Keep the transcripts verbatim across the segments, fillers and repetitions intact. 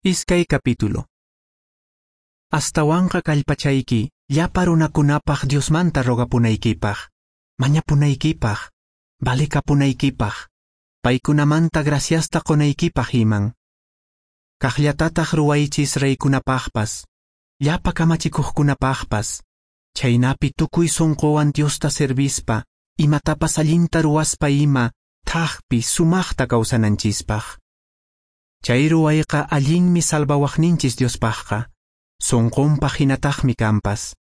Iskay capítulo. Astawanqa kallpachayki llapa runakunapaq Diosmanta rogapunaykipaq, mañapunaykipaq, valekapunaykipaq, paykunamanta graciasta qonaykipaq iman. Kaqllatataq ruwaychis reykunapaqpas, llapa kamachikuqkunapaqpas, chhaynapi tukuy sunquwan Diosta servispa, imatapas allinta ruwaspa ima, thaqpi sumaqta kawsananchispaq. Chay ruwayqa allinmi salvawaqninchis Diospaqqa, sunqunpaq hinataqmi kanpas.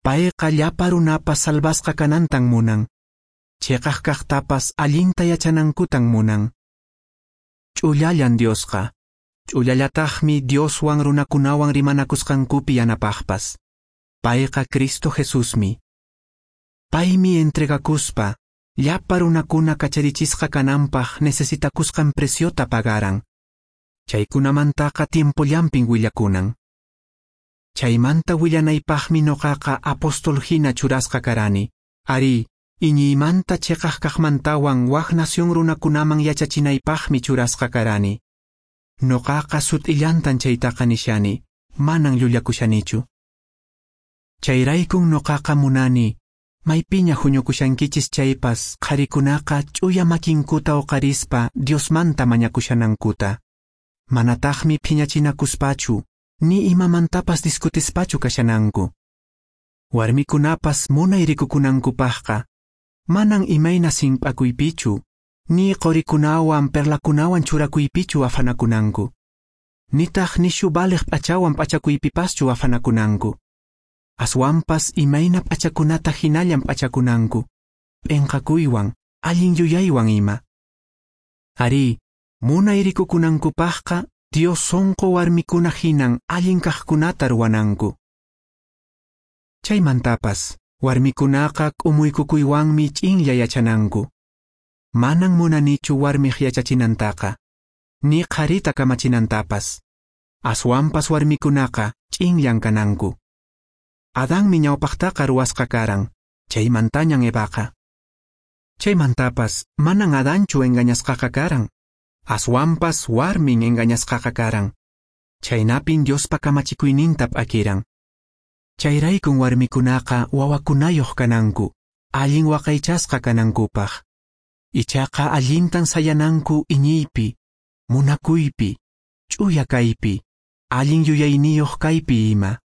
Payqa llapa runapas salvasqa kanantan munan, cheqaq kaqtapas allinta yachanankutan munan. Ch'ullallan Diosqa, ch'ullallataqmi Dioswan runakunawan rimanakusqankupi yanapaqpas. Payqa Cristo Jesusmi. Paymi entregakuspa, llapa runakuna kacharichisqa kananpaq necesitakusqan preciota pagaran. Chaykunamantaqa tiempollampin willakunan. Chaymanta willanaypaqmi noqaqa apóstol hina churasqa karani. Ari, iñiymanta cheqaq kaqmantawan wak nación runakunaman yachachinaypaqmi churasqa karani. Noqaqa sut'illantan chaytaqa nishani, manan llullakushanichu. Chayraykun noqaqa munani, maypiña huñukushankichis chaypas qharikunaqa ch'uya makinkuta uqarispa Diosmanta mañakushanankuta. Manataqmi phiñachinakuspachu, ni imamantapas discutispachu kashananku. Warmikunapas munay rikukunankupaqqa, manan imayna simp'akuypichu, ni qorikunawan perlakunawan churakuypichu afanakunanku. Nitaq nishu valeq p'achawan p'achakuypipaschu afanakunanku. Aswanpas imayna p'achakunata hinallan p'achakunanku, p'inqakuywan, allin yuyaywan ima. Ari, munay rikukunankupaqqa Dios sunqu warmikuna hinan allin kaqkunata ruwananku. Chaymantapas, warmikunaqa k'umuykukuywanmi ch'inlla yachananku. Manan munanichu warmiq yachachinantaqa, ni qharita kamachinantapas. Aswanpas warmikunaqa ch'inllan kananku. Adanmi ñawpaqtaqa ruwasqa karan, chaymantañan Evaqa. Chaymantapas manan Adanchu engañasqaqa karan, aswanpas warmin engañasqaqa karan. Chaynapin Diospa kamachikuyninta p'akiran. Chayraykun warmikunaqa wawakunayuq kananku, allin waqaychasqa kanankupaq. Ichaqa allintan sayananku iñiypi, munakuypi, ch'uya kaypi, allin yuyayniyuq kaypi ima.